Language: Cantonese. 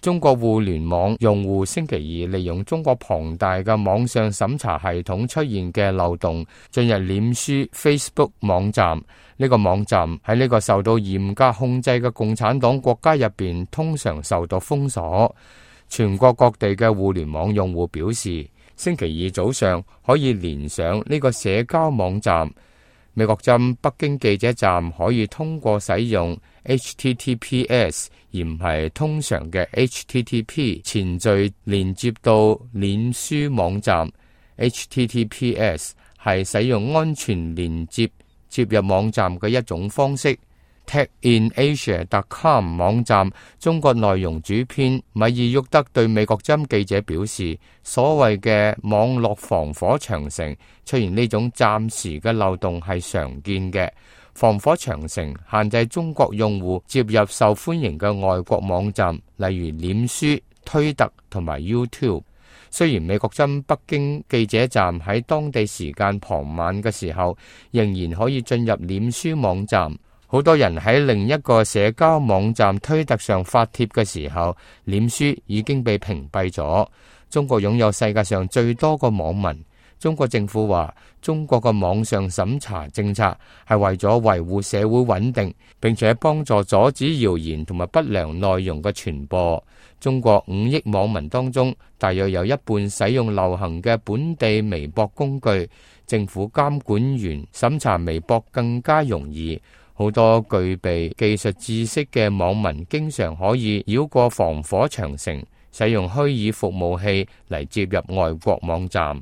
中國互聯網用戶星期二利用中國龐大嘅網上審查系統出現嘅漏洞，進入臉書 Facebook 網站。呢個網站喺呢個受到嚴格控制嘅共產黨國家入邊，通常受到封鎖。全國各地嘅互聯網用戶表示，星期二早上可以連上呢個社交網站。美國針北京記者站可以通過使用 HTTPS 而唔係通常嘅 HTTP 前序連接到臉書網站。HTTPS 係使用安全連接接入網站嘅一種方式。TechInAsia.com 網站中國內容主編米爾沃德對美國針記者表示，所謂嘅網絡防火長城出現呢種暫時嘅漏洞係常見嘅。防火長城限制中國用戶接入受歡迎嘅外國網站，例如臉書、推特同埋 YouTube。雖然美國針北京記者站喺當地時間傍晚嘅時候仍然可以進入臉書網站，好多人喺另一個社交網站推特上發帖嘅時候，臉書已經被屏蔽咗。中國擁有世界上最多個網民。中國政府話，中國嘅網上審查政策係為咗維護社會穩定，並且幫助阻止謠言同埋不良內容嘅傳播。中國5億網民當中，大約有一半使用流行嘅本地微博工具，政府監管員審查微博更加容易。好多具備技術知識嘅網民經常可以繞過防火長城，使用虛擬服務器嚟接入外國網站。